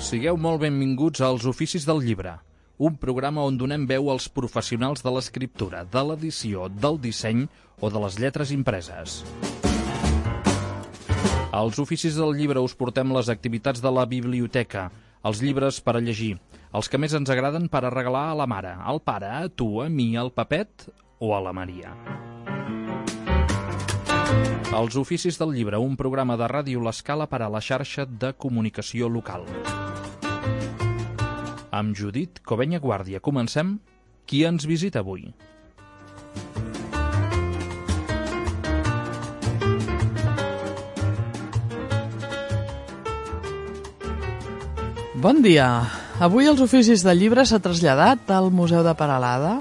Sigueu molt benvinguts als Oficis del Llibre, un programa on donem veu als professionals de l'escriptura, de l'edició, del disseny o de les lletres impreses. Als Oficis del Llibre us portem les activitats de la biblioteca, els llibres per a llegir, els que més ens agraden per a regalar a la mare, al pare, a tu, a mi, al Pepet o a la Maria. Els Oficis del Llibre, un programa de Ràdio L'Escala per a la xarxa de comunicació local. Amb Judit Covenya Guàrdia comencem. Qui ens visita avui? Bon dia. Avui els Oficis del Llibre s'ha traslladat al Museu de Peralada,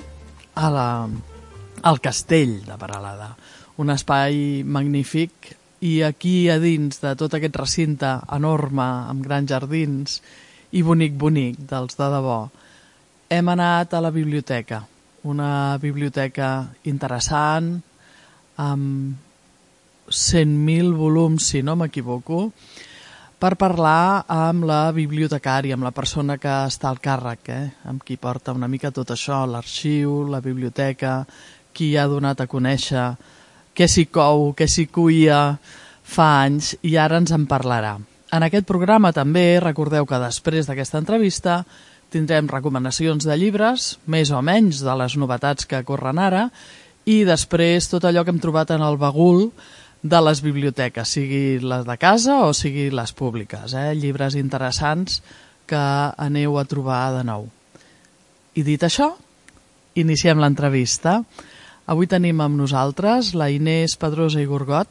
al Castell de Peralada. Un espai magnífic, i aquí a dins de tot aquest recinte enorme, amb grans jardins i bonic, dels de debò, hem anat a la biblioteca. Una biblioteca interessant, amb 100.000 volums, si no m'equivoco, per parlar amb la bibliotecària, amb la persona que està al càrrec, amb qui porta una mica tot això, l'arxiu, la biblioteca, qui ha donat a conèixer què s'hi cou, què s'hi cuia fa anys, i ara ens en parlarà. En aquest programa també recordeu que després d'aquesta entrevista tindrem recomanacions de llibres, més o menys de les novetats que corren ara, i després tot allò que hem trobat en el bagul de les biblioteques, sigui les de casa o sigui les públiques, llibres interessants que aneu a trobar de nou. I dit això, iniciem l'entrevista. Avui tenim amb nosaltres la Inés Pedrosa i Gorgot,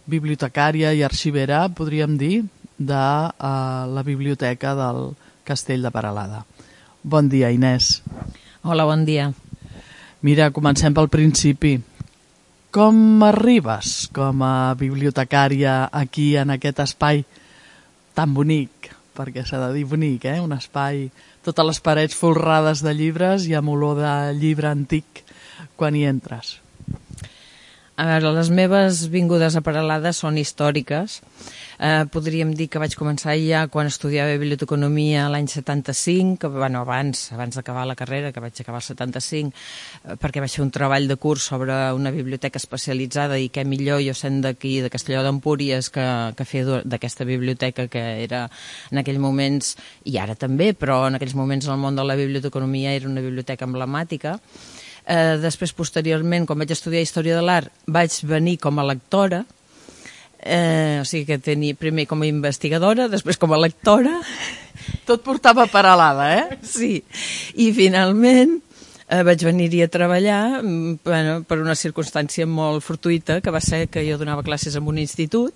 bibliotecària i arxivera, podríem dir, de la biblioteca del Castell de Peralada. Bon dia, Inés. Hola, bon dia. Mira, comencem pel principi. Com arribes com a bibliotecària aquí en aquest espai tan bonic? Perquè s'ha de dir bonic, un espai, totes les parets folrades de llibres i amb olor de llibre antic quan hi entres. A veure, les meves vingudes a Peralada són històriques. Podríem dir que vaig començar ja quan estudiava biblioteconomia l'any 75, abans d'acabar la carrera, que vaig acabar el 75, perquè vaig fer un treball de curs sobre una biblioteca especialitzada, i què millor jo sent d'aquí, de Castelló d'Empúries, que fer d'aquesta biblioteca, que era en aquells moments, i ara també, però en aquells moments el món de la biblioteconomia era una biblioteca emblemàtica. Després, posteriorment, quan vaig estudiar Història de l'Art, vaig venir com a lectora, o sigui que tenia primer com a investigadora, després com a lectora. Tot portava Peralada, Sí, i finalment vaig venir-hi a treballar per una circumstància molt fortuïta, que va ser que jo donava classes en un institut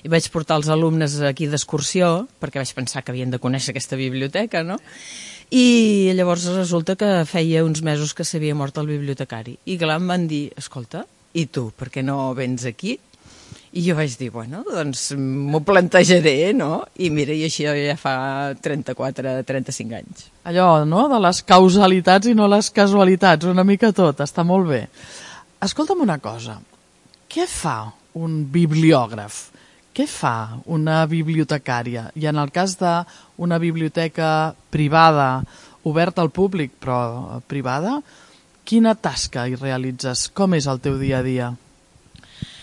i vaig portar els alumnes aquí d'excursió, perquè vaig pensar que havien de conèixer aquesta biblioteca, no? I llavors resulta que feia uns mesos que s'havia mort el bibliotecari. I clar, em van dir, escolta, i tu, per què no vens aquí? I jo vaig dir, bueno, doncs m'ho plantejaré, no? I mira, i això ja fa 34-35 anys. Allò, no?, de les causalitats i no les casualitats, una mica tot, està molt bé. Escolta'm una cosa, què fa un bibliògraf? Què fa una bibliotecària? I en el cas d'una biblioteca privada, oberta al públic, però privada, quina tasca hi realitzes? Com és el teu dia a dia?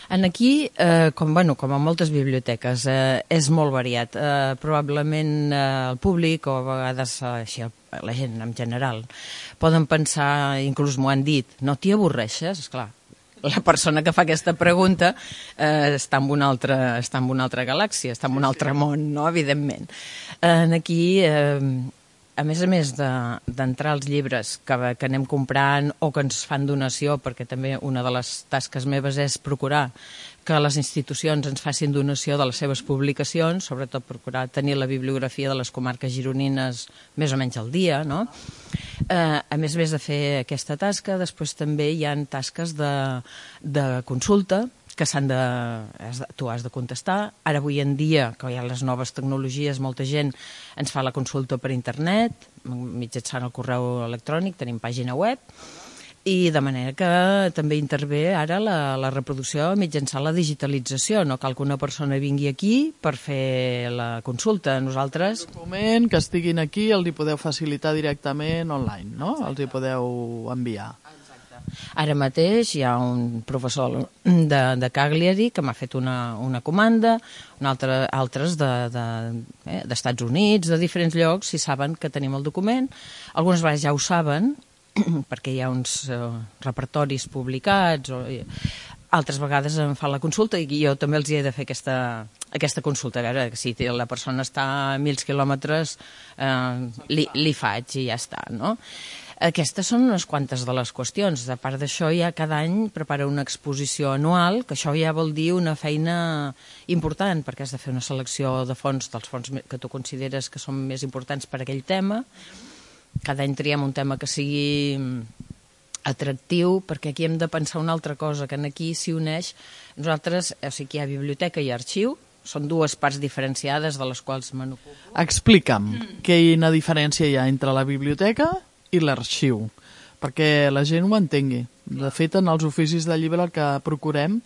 Aquí, com a moltes biblioteques, és molt variat. Probablement el públic, o a vegades la gent en general, poden pensar, inclús m'ho han dit, no t'hi avorreixes? Esclar, la persona que fa aquesta pregunta està en una altra galàxia, està en un altre món, no?, evidentment. Aquí, a més d'entrar els llibres que anem comprant o que ens fan donació, perquè també una de les tasques meves és procurar que les institucions ens facin donació de les seves publicacions, sobretot procurar tenir la bibliografia de les comarques gironines més o menys al dia, no? A més de fer aquesta tasca, després també hi ha tasques de consulta, que tu has de contestar. Ara, avui en dia, que hi ha les noves tecnologies, molta gent ens fa la consulta per internet, mitjançant el correu electrònic, tenim pàgina web, i de manera que també intervé ara la reproducció mitjançant la digitalització. No cal que una persona vingui aquí per fer la consulta. Nosaltres... Un document que estiguin aquí el hi podeu facilitar directament online, no? Els hi podeu enviar. Ara mateix hi ha un professor de Cagliari que m'ha fet una comanda, altres d'Estats Units, de diferents llocs, si saben que tenim el document. Algunes vegades ja ho saben, perquè hi ha uns repertoris publicats, altres vegades em fan la consulta i jo també els hi he de fer aquesta consulta. A veure, si la persona està a 1.000 quilòmetres, li faig i ja està, no? Aquestes són unes quantes de les qüestions. A part d'això, ja cada any prepara una exposició anual, que això ja vol dir una feina important, perquè has de fer una selecció de fons, dels fons que tu consideres que són més importants per aquell tema. Cada any triem un tema que sigui atractiu, perquè aquí hem de pensar una altra cosa, que aquí s'hi uneix. Nosaltres, o sigui, hi ha biblioteca i arxiu, són dues parts diferenciades de les quals me n'ocupo. Explica'm quina diferència hi ha entre la biblioteca i l'arxiu, perquè la gent ho entengui. De fet, en els oficis de llibre el que procurem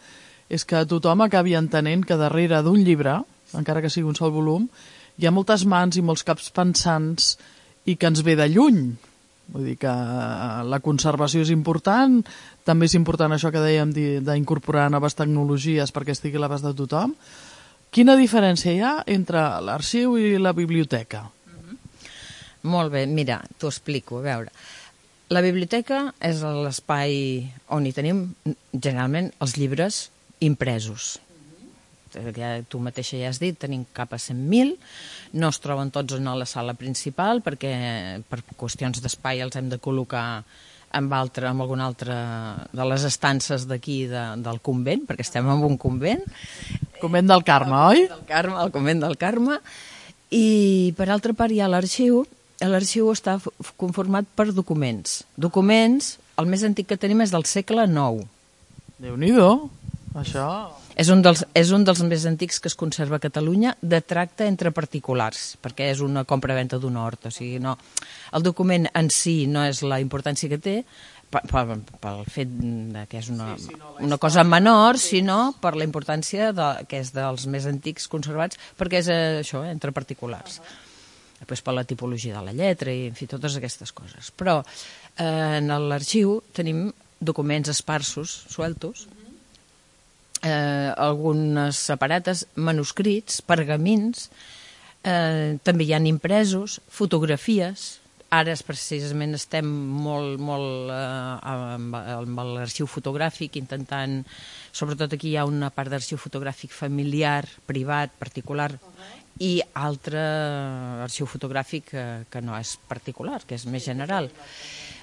és que tothom acabi entenent que darrere d'un llibre, encara que sigui un sol volum, hi ha moltes mans i molts caps pensants i que ens ve de lluny. Vull dir que la conservació és important, també és important això que dèiem d'incorporar noves tecnologies perquè estigui a l'abast de tothom. Quina diferència hi ha entre l'arxiu i la biblioteca? Molt bé, mira, t'ho explico, a veure. La biblioteca és l'espai on hi tenim generalment els llibres impresos. Tu mateixa ja has dit, tenim cap a 100.000, no es troben tots en la sala principal perquè per qüestions d'espai els hem de col·locar en alguna altra de les estances d'aquí del convent, perquè estem en un convent. Convent del Carme, oi? El convent del Carme. I per altra part hi ha l'arxiu. L'arxiu està conformat per documents. Documents, el més antic que tenim és del segle IX. Déu-n'hi-do, això... És un dels més antics que es conserva a Catalunya de tracte entre particulars, perquè és una compra-venta d'un hort. O sigui, no, el document en si no és la importància que té, pel fet que és una cosa menor, sinó per la importància que és dels més antics conservats, perquè és això, entre particulars. Després per la tipologia de la lletra i, en fi, totes aquestes coses. Però en l'arxiu tenim documents esparsos, sueltos, algunes separates, manuscrits, pergamins, també hi ha impresos, fotografies. Ara precisament estem molt amb l'arxiu fotogràfic, intentant, sobretot aquí hi ha una part d'arxiu fotogràfic familiar, privat, particular, i altre arxiu fotogràfic que no és particular, que és més general,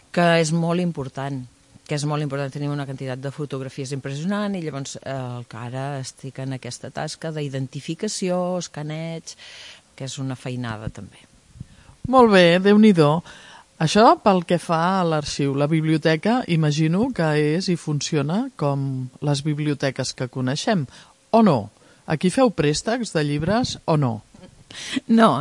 que és molt important. Tenim una quantitat de fotografies impressionant i llavors que ara estic en aquesta tasca d'identificació, escaneig, que és una feinada també. Molt bé, Déu-n'hi-do. Això pel que fa a l'arxiu. La biblioteca, imagino que és i funciona com les biblioteques que coneixem, o no? Aquí feu préstecs de llibres o no? No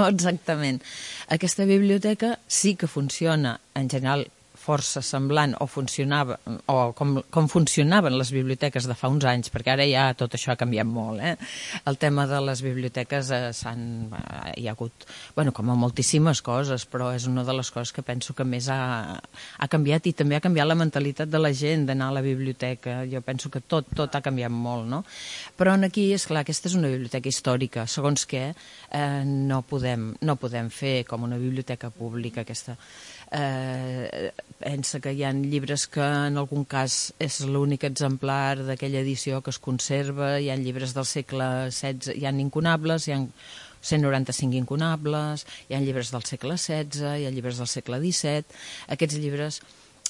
exactament. Aquesta biblioteca sí que funciona en general força semblant o funcionava o com funcionaven les biblioteques de fa uns anys, perquè ara ja tot això ha canviat molt. El tema de les biblioteques hi ha hagut, com a moltíssimes coses, però és una de les coses que penso que més ha canviat i també ha canviat la mentalitat de la gent d'anar a la biblioteca. Jo penso que tot ha canviat molt, no? Però aquí, esclar, aquesta és una biblioteca històrica, segons què no podem fer com una biblioteca pública aquesta. Pensa que hi ha llibres que en algun cas és l'únic exemplar d'aquella edició que es conserva, hi ha llibres del segle XVI, hi ha incunables, hi ha 195 incunables, hi ha llibres del segle XVI, hi ha llibres del segle XVII. Aquests llibres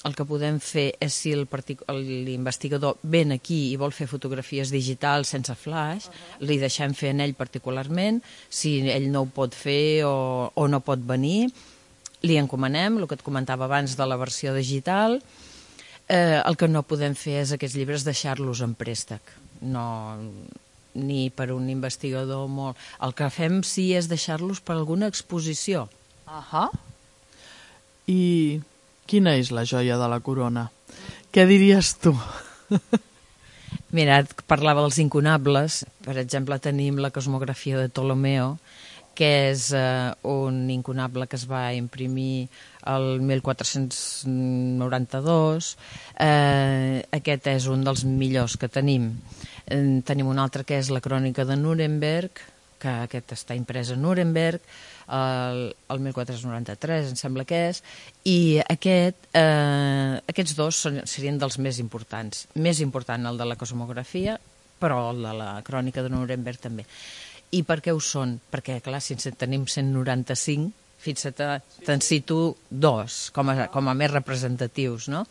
el que podem fer és si l'investigador ven aquí i vol fer fotografies digitals sense flash, li deixem fer en ell particularment. Si ell no ho pot fer o no pot venir, li encomanem, el que et comentava abans de la versió digital. El que no podem fer és aquests llibres deixar-los en préstec, ni per un investigador molt... El que fem sí és deixar-los per alguna exposició. I quina és la joia de la corona? Què diries tu? Mira, parlava dels incunables. Per exemple, tenim la cosmografia de Ptolomeo, que és un incunable que es va imprimir el 1492. Aquest és un dels millors que tenim. Tenim un altre que és la crònica de Nuremberg, que aquest està imprès a Nuremberg, el 1493, em sembla que és, i aquests dos serien dels més importants. Més important el de la cosmografia, però el de la crònica de Nuremberg també. I per què ho són? perquè, clar, si tenim 195, fixa't, te'n cito dos com a més representatius, no?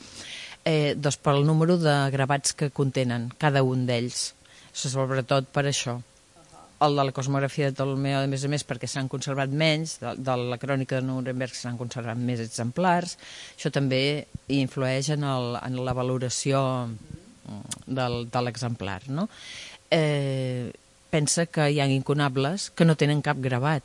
Doncs pel número de gravats que contenen cada un d'ells, sobretot per això. El de la cosmografia de Ptolomeo, a més, perquè s'han conservat menys, de la crònica de Nuremberg s'han conservat més exemplars. Això també influeix en la valoració de l'exemplar, no? Pensa que hi ha incunables que no tenen cap gravat.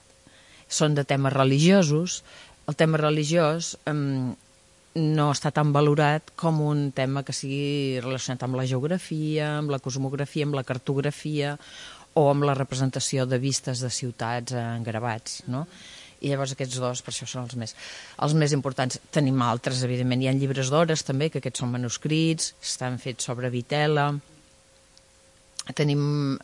Són de temes religiosos. El tema religiós no està tan valorat com un tema que sigui relacionat amb la geografia, amb la cosmografia, amb la cartografia o amb la representació de vistes de ciutats en gravats, no? I llavors aquests dos, per això són els més importants. Tenim altres, evidentment. Hi ha llibres d'hores també, que aquests són manuscrits, estan fets sobre vitela. Tenim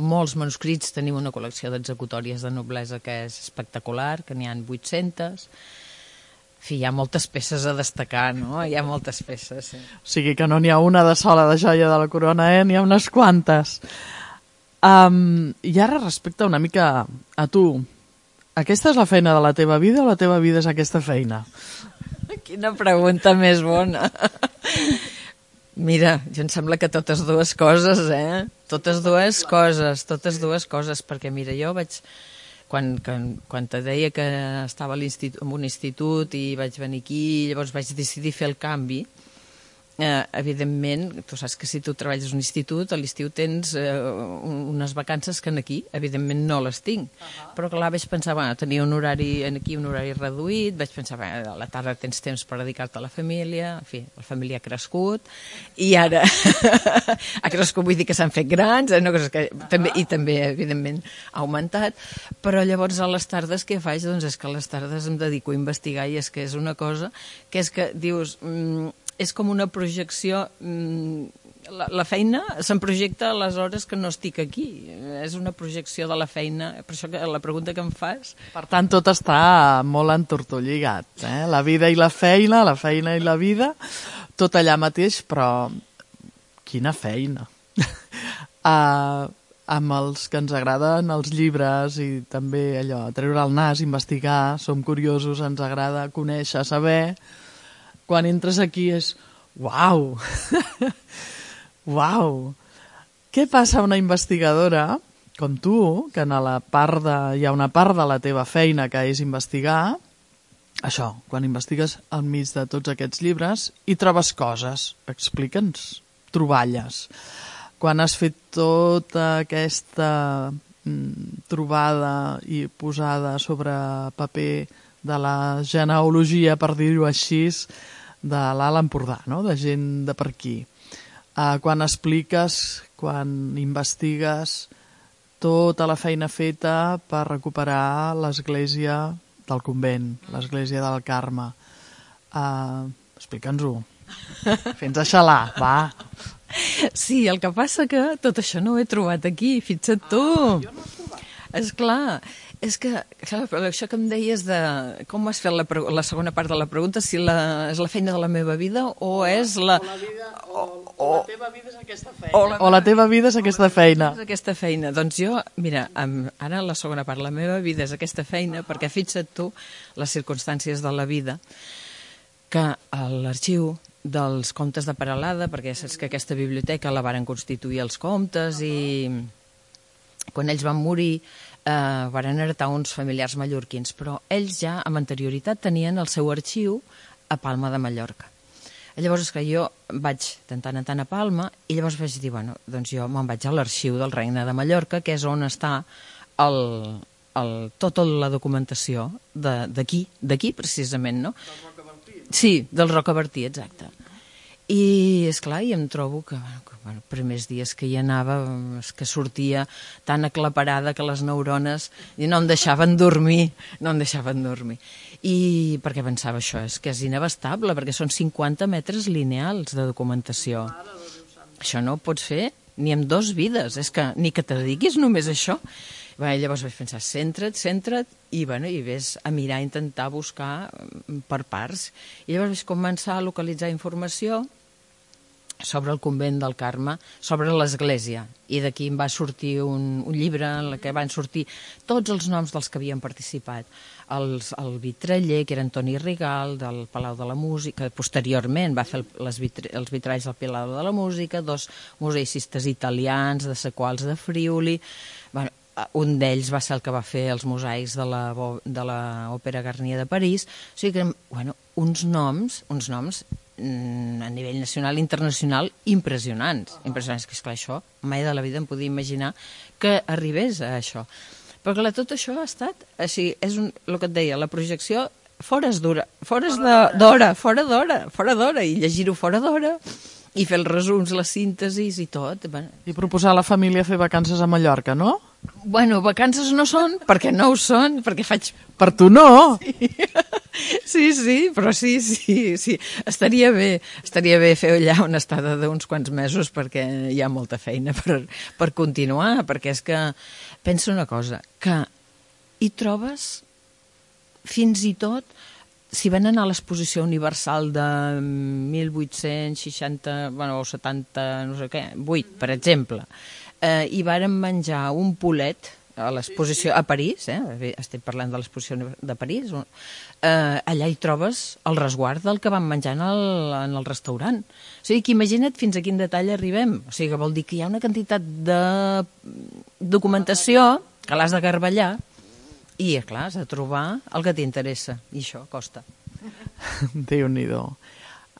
molts manuscrits, tenim una col·lecció d'executòries de noblesa que és espectacular, que n'hi ha 800. En fi, hi ha moltes peces a destacar, no? Hi ha moltes peces, sí. O sigui que no n'hi ha una de sola de joia de la corona, n'hi ha unes quantes. I ara respecte una mica a tu, aquesta és la feina de la teva vida o la teva vida és aquesta feina? Quina pregunta més bona. Mira, jo em sembla que totes dues coses, Totes dues coses, perquè mira, jo vaig... Quan te deia que estava en un institut i vaig venir aquí, llavors vaig decidir fer el canvi. Evidentment, tu saps que si tu treballes a un institut, a l'estiu tens unes vacances que aquí, evidentment, no les tinc. Però clar, vaig pensar, tenia un horari aquí, un horari reduït, vaig pensar, a la tarda tens temps per dedicar-te a la família, en fi, la família ha crescut, i ara ha crescut, vull dir que s'han fet grans, i també, evidentment, ha augmentat, però llavors a les tardes què faig? Doncs és que a les tardes em dedico a investigar i és que és una cosa que és que dius... és com una projecció, la feina se'n projecta a les hores que no estic aquí, és una projecció de la feina, per això que la pregunta que em fas... Per tant, tot està molt entortolligat, la vida i la feina i la vida, tot allà mateix, però quina feina! Amb els que ens agraden els llibres i també allò, treure el nas, investigar, som curiosos, ens agrada conèixer, saber... Quan entres aquí és... Uau! Uau! Què passa a una investigadora com tu, que hi ha una part de la teva feina que és investigar, això, quan investigues al mig de tots aquests llibres i trobes coses, explica'ns, troballes. Quan has fet tota aquesta trobada i posada sobre paper de la genealogia, per dir-ho així, de l'Alt Empordà, no? De gent de per aquí. Quan expliques, quan investigues tota la feina feta per recuperar l'església del convent, l'església del Carme. Explica'ns-ho. Fes-nos xalar, va. Sí, el que passa que tot això no ho he trobat aquí, fixa't tu. Jo no ho he trobat. Esclar, és que això que em deies de com has fet la segona part de la pregunta, si és la feina de la meva vida o és la... O la teva vida és aquesta feina. O la teva vida és aquesta feina. És aquesta feina. Doncs jo, mira, ara la segona part, la meva vida és aquesta feina, perquè fixa't tu les circumstàncies de la vida, que a l'arxiu dels Comtes de Peralada, perquè saps que aquesta biblioteca la varen constituir els comtes i quan ells van morir varen heretar uns familiars mallorquins, però ells ja amb anterioritat tenien el seu arxiu a Palma de Mallorca. Llavors és que jo vaig de tant en tant a Palma i llavors vaig dir, bueno, doncs jo me'n vaig a l'arxiu del Regne de Mallorca, que és on està tota la documentació d'aquí precisament, no? Sí, del Rocabertí, exacte. I, esclar, i em trobo que, primers dies que hi anava, que sortia tan aclaparada que les neurones no em deixaven dormir, I perquè pensava, això és que és inabastable, perquè són 50 metres lineals de documentació. Això no ho pots fer ni amb 2 vides, és que ni que te dediquis només a això. Llavors vaig pensar, centra't, i ves a mirar, a intentar buscar per parts. I llavors vaig començar a localitzar informació sobre el convent del Carme, sobre l'església, i d'aquí em va sortir un llibre en què van sortir tots els noms dels que havien participat. El vitraller, que era Antoni Rigal, del Palau de la Música, posteriorment va fer els vitralls del Palau de la Música, 2 museicistes italians, de Sequals de Friuli, un d'ells va ser el que va fer els mosaics de l'Òpera Garnier de París. O sigui que, uns noms a nivell nacional i internacional impressionants, que esclar, això mai de la vida em podia imaginar que arribés a això. Però clar, tot això ha estat així, és el que et deia, la projecció fora d'hora, i llegir-ho fora d'hora, i fer els resums, les síntesis i tot. I proposar a la família fer vacances a Mallorca, no? Bueno, vacances no són, perquè no ho són, perquè faig... Per tu no! Sí, però sí. Estaria bé fer allà una estada d'uns quants mesos, perquè hi ha molta feina per continuar, perquè és que penso una cosa, que hi trobes fins i tot, si van anar a l'exposició universal de 1860, o 70, no sé què, 8, per exemple, i varen menjar un polet a l'exposició a París, estem parlant de l'exposició de París, allà hi trobes el resguard del que van menjar en el restaurant. O sigui que imagina't fins a quin detall arribem. O sigui que vol dir que hi ha una quantitat de documentació que l'has de garballar i, clar, has de trobar el que t'interessa, i això costa. Déu-n'hi-do.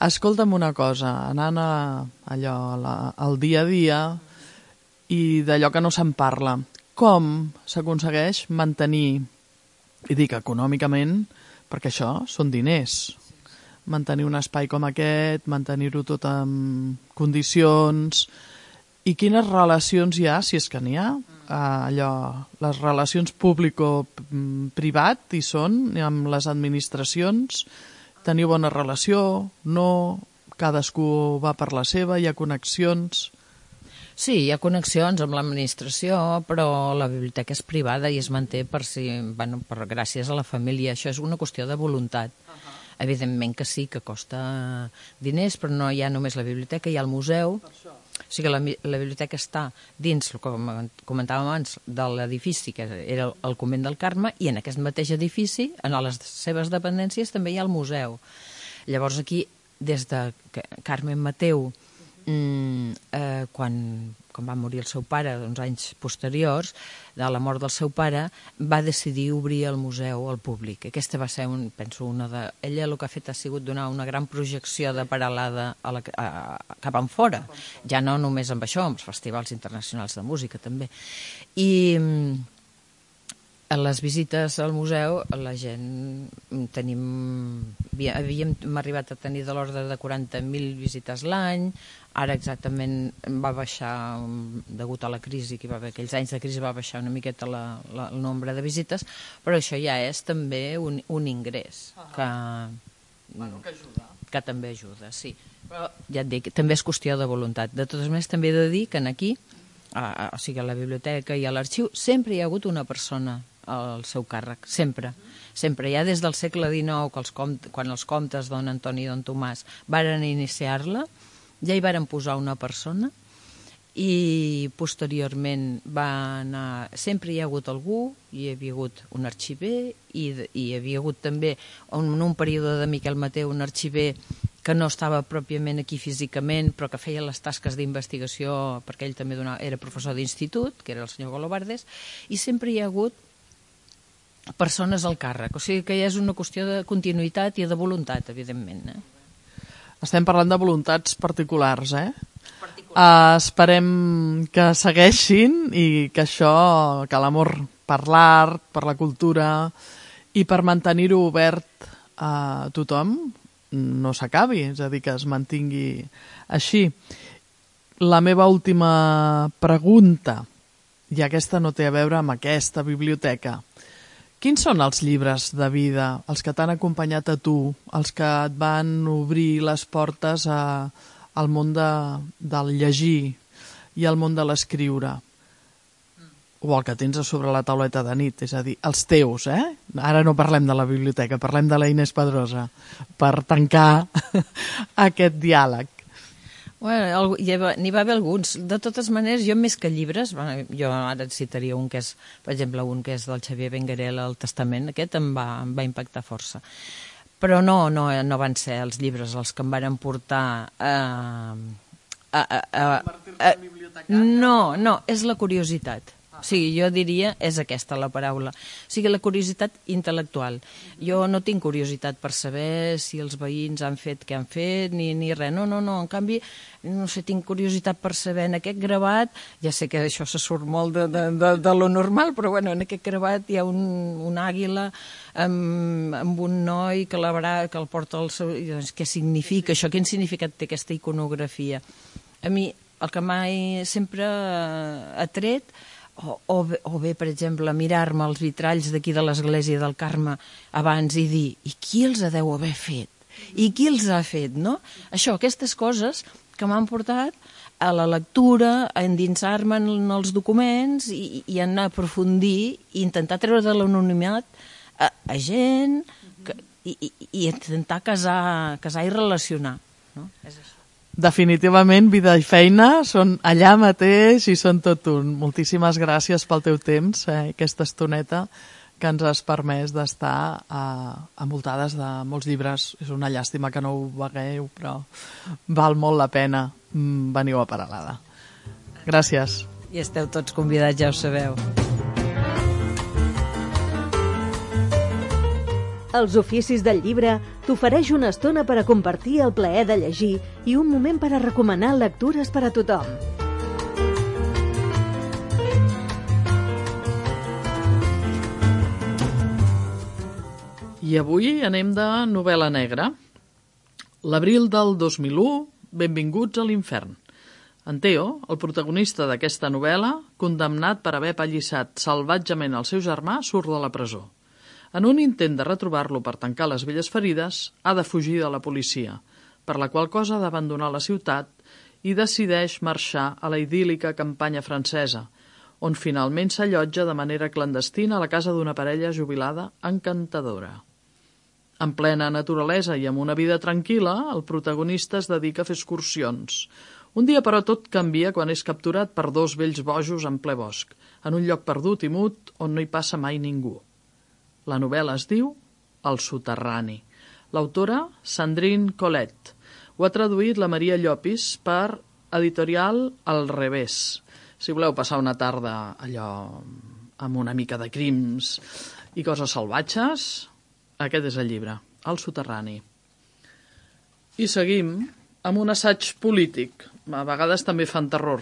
Escolta'm una cosa, anant al dia a dia i d'allò que no se'n parla, com s'aconsegueix mantenir, i dic econòmicament, perquè això són diners, mantenir un espai com aquest, mantenir-ho tot en condicions, i quines relacions hi ha, si és que n'hi ha, les relacions público-privat hi són, amb les administracions, teniu bona relació, no, cadascú va per la seva, hi ha connexions... Sí, hi ha connexions amb l'administració, però la biblioteca és privada i es manté gràcies a la família. Això és una qüestió de voluntat. Evidentment que sí, que costa diners, però no hi ha només la biblioteca, hi ha el museu. O sigui que la biblioteca està dins, com comentàvem abans, de l'edifici que era el convent del Carme, i en aquest mateix edifici, en les seves dependències, també hi ha el museu. Llavors aquí, des de Carmen Mateu, quan va morir el seu pare, uns anys posteriors, de la mort del seu pare, va decidir obrir el museu al públic. Aquesta va ser, penso, ella el que ha fet ha sigut donar una gran projecció de Peralada cap enfora, ja no només amb això, amb els festivals internacionals de música també. I a les visites al museu la gent havíem arribat a tenir de l'ordre de 40.000 visites l'any. Ara exactament va baixar, degut a la crisi, que hi va haver aquells anys de crisi, va baixar una miqueta el nombre de visites, però això ja és també un ingrés que també ajuda, sí. Però ja et dic, també és qüestió de voluntat. De totes maneres, també he de dir que aquí, o sigui, a la biblioteca i a l'arxiu, sempre hi ha hagut una persona al seu càrrec, sempre. Sempre, ja des del segle XIX, quan els comtes don Antoni i don Tomàs varen iniciar-la, ja hi varen posar una persona i posteriorment sempre hi ha hagut algú, hi havia hagut un arxiver i hi havia hagut també en un període de Miquel Mateu un arxiver que no estava pròpiament aquí físicament però que feia les tasques d'investigació perquè ell també era professor d'institut, que era el senyor Golobardes, i sempre hi ha hagut persones al càrrec, o sigui que ja és una qüestió de continuïtat i de voluntat, evidentment. Estem parlant de voluntats particulars, esperem que segueixin i que que l'amor per l'art, per la cultura i per mantenir-ho obert a tothom no s'acabi, és a dir, que es mantingui així. La meva última pregunta, i aquesta no té a veure amb aquesta biblioteca. Quins són els llibres de vida, els que t'han acompanyat a tu, els que et van obrir les portes al món del llegir i al món de l'escriure? O el que tens a sobre la tauleta de nit, és a dir, els teus, eh? Ara no parlem de la biblioteca, parlem de la Inés Pedrosa, per tancar aquest diàleg. Bueno, n'hi va haver alguns. De totes maneres, jo més que llibres, jo ara et citaria un que és, per exemple, un que és del Xavier Benguerel, El Testament, aquest em va impactar força. Però no van ser els llibres els que em van portar No, és la curiositat. O sigui, jo diria, és aquesta la paraula. O sigui, la curiositat intel·lectual. Jo no tinc curiositat per saber si els veïns han fet què han fet, ni res. No, en canvi, no sé, tinc curiositat per saber en aquest gravat, ja sé que això se surt molt de lo normal, però bueno, en aquest gravat hi ha un àguila amb un noi que el porta al seu... Doncs, què significa això? Quin significat té aquesta iconografia? A mi, el que mai sempre ha tret, o bé, per exemple, mirar-me els vitralls d'aquí de l'església del Carme abans i dir, i qui els deu haver fet? I qui els ha fet, no? Això, aquestes coses que m'han portat a la lectura, a endinsar-me en els documents i a anar a aprofundir i intentar treure de l'anonimat a gent i intentar casar i relacionar, no? És això. Definitivament, vida i feina són allà mateix i són tot un. Moltíssimes gràcies pel teu temps, aquesta estoneta que ens has permès d'estar envoltades de molts llibres. És una llàstima que no ho vegueu, però val molt la pena. Veniu a Peralada. Gràcies. I esteu tots convidats, ja ho sabeu. Els Oficis del Llibre t'ofereix una estona per a compartir el plaer de llegir i un moment per a recomanar lectures per a tothom. I avui anem de novel·la negra. L'abril del 2001, Benvinguts a l'infern. En Teo, el protagonista d'aquesta novel·la, condemnat per haver pallissat salvatgement el seu germà, surt de la presó. En un intent de retrobar-lo per tancar les velles ferides, ha de fugir de la policia, per la qual cosa ha d'abandonar la ciutat i decideix marxar a la idíl·lica campanya francesa, on finalment s'allotja de manera clandestina a la casa d'una parella jubilada encantadora. En plena naturalesa i amb una vida tranquil·la, el protagonista es dedica a fer excursions. Un dia, però, tot canvia quan és capturat per dos vells bojos en ple bosc, en un lloc perdut i mut on no hi passa mai ningú. La novel·la es diu El soterrani. L'autora, Sandrine Collet. Ho ha traduït la Maria Llopis per editorial Al revés. Si voleu passar una tarda allò amb una mica de crims i coses salvatges, aquest és el llibre, El soterrani. I seguim amb un assaig polític. A vegades també fan terror.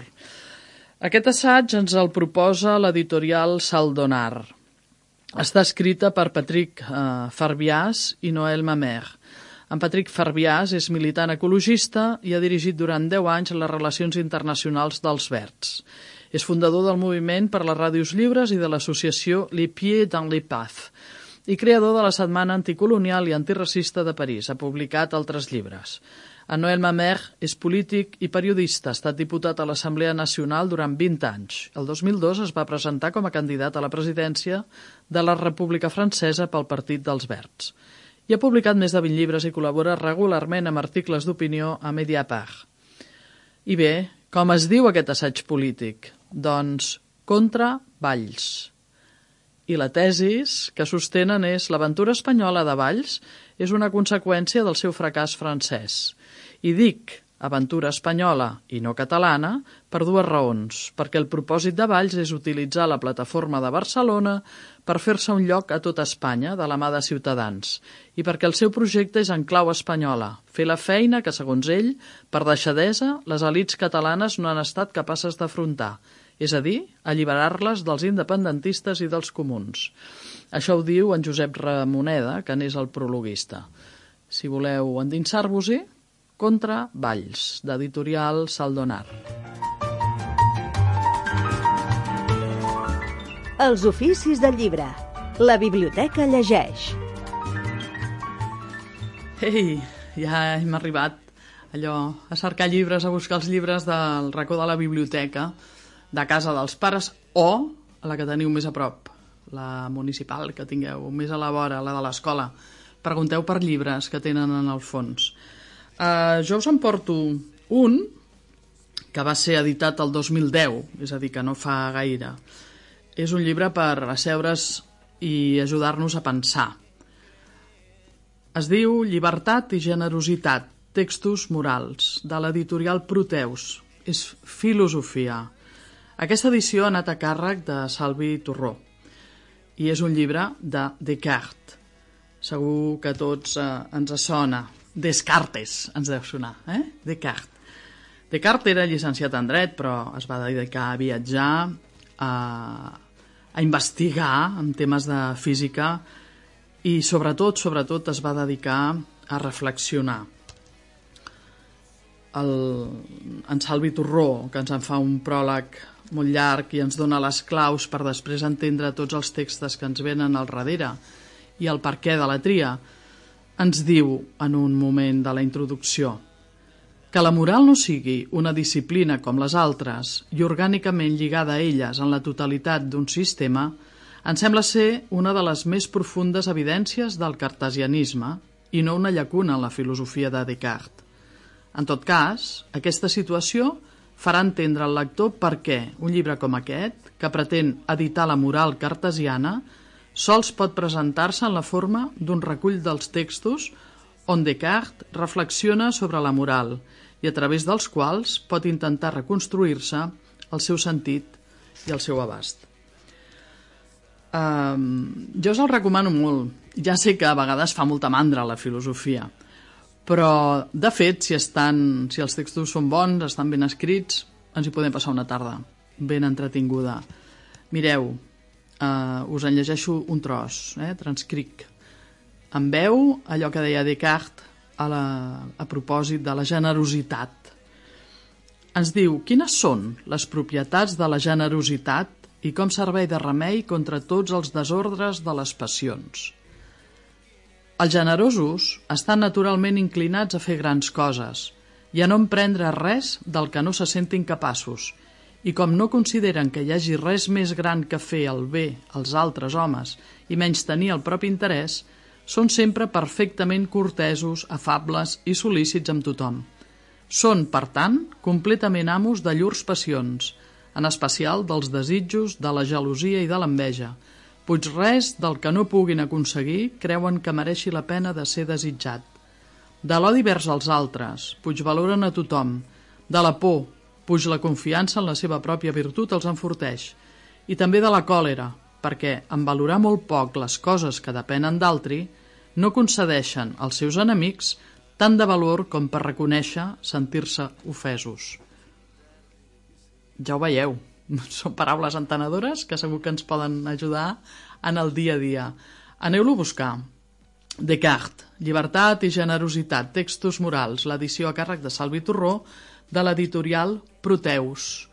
Aquest assaig ens el proposa l'editorial Saldonar. Està escrita per Patrick Farbias i Noël Mamère. En Patrick Farbias és militant ecologista i ha dirigit durant 10 anys les relacions internacionals dels Verds. És fundador del moviment per les ràdios lliures i de l'associació Les Pieds dans les Paths i creador de la Setmana Anticolonial i Antiracista de París. Ha publicat altres llibres. En Noël Mamère és polític i periodista. Ha estat diputat a l'Assemblea Nacional durant 20 anys. El 2002 es va presentar com a candidat a la presidència de la República Francesa pel Partit dels Verds. I ha publicat més de 20 llibres i col·labora regularment amb articles d'opinió a Mediapart. I bé, com es diu aquest assaig polític? Doncs contra Valls. I la tesis que sostenen és l'aventura espanyola de Valls és una conseqüència del seu fracàs francès. I dic aventura espanyola i no catalana per dues raons. Perquè el propòsit de Valls és utilitzar la plataforma de Barcelona per fer-se un lloc a tota Espanya de la mà de Ciutadans i perquè el seu projecte és en clau espanyola, fer la feina que, segons ell, per deixadesa, les elits catalanes no han estat capaces d'afrontar, és a dir, alliberar-les dels independentistes i dels comuns. Això ho diu en Josep Ramoneda, que n'és el prologuista. si voleu endinsar-vos-hi, Contra Valls, d'editorial Saldonar. Els oficis del llibre. La biblioteca llegeix. Ei, ja hem arribat a cercar llibres, a buscar els llibres del racó de la biblioteca, de casa dels pares o a la que teniu més a prop, la municipal que tingueu més a la vora, la de l'escola. Pregunteu per llibres que tenen en el fons. Jo us en porto un que va ser editat el 2010, és a dir, que no fa gaire. És un llibre per asseure's i ajudar-nos a pensar. Es diu Llibertat i generositat, textos morals, de l'editorial Proteus. És filosofia. Aquesta edició ha anat a càrrec de Salvi Torró i és un llibre de Descartes. Segur que a tots ens sona. Descartes ens deu sonar, Descartes. Descartes era llicenciat en dret, però es va dedicar a viatjar, a investigar en temes de física i sobretot es va dedicar a reflexionar. En Salvi Torró, que ens en fa un pròleg molt llarg i ens dona les claus per després entendre tots els textos que ens venen al darrere i el perquè de la tria, ens diu en un moment de la introducció que la moral no sigui una disciplina com les altres i orgànicament lligada a elles en la totalitat d'un sistema ens sembla ser una de les més profundes evidències del cartesianisme i no una llacuna en la filosofia de Descartes. En tot cas, aquesta situació farà entendre al lector per què un llibre com aquest, que pretén editar la moral cartesiana, sols pot presentar-se en la forma d'un recull dels textos on Descartes reflexiona sobre la moral i a través dels quals pot intentar reconstruir-se el seu sentit i el seu abast. Jo us el recomano molt. Ja sé que a vegades fa molta mandra la filosofia, però, de fet, si els textos són bons, estan ben escrits, ens hi podem passar una tarda ben entretinguda. Mireu, us en llegeixo un tros, transcric. En veu allò que deia Descartes a propòsit de la generositat. Ens diu, quines són les propietats de la generositat i com servei de remei contra tots els desordres de les passions. Els generosos estan naturalment inclinats a fer grans coses i a no emprendre res del que no se sentin capaços, i com no consideren que hi hagi res més gran que fer el bé als altres homes i menys tenir el propi interès, són sempre perfectament cortesos, afables i sol·lícits amb tothom. Són, per tant, completament amos de llurs passions, en especial dels desitjos, de la gelosia i de l'enveja, puig res del que no puguin aconseguir creuen que mereixi la pena de ser desitjat. De l'odi vers als altres, puig valoren a tothom, de la por, puig la confiança en la seva pròpia virtut els enforteix, i també de la còlera, perquè, en valorar molt poc les coses que depenen d'altri, no concedeixen als seus enemics tant de valor com per reconèixer sentir-se ofesos. Ja ho veieu, són paraules entenedores que segur que ens poden ajudar en el dia a dia. Aneu-lo a buscar. Descartes, Llibertat i generositat, textos morals, l'edició a càrrec de Salvi Torró, de l'editorial Proteus.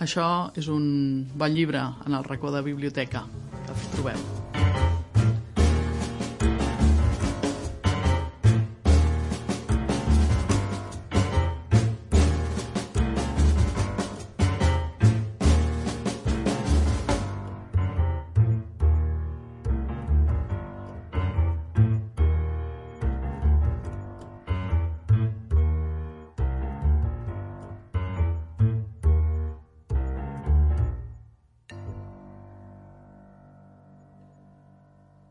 Això és un bon llibre en el racó de biblioteca que trobeu.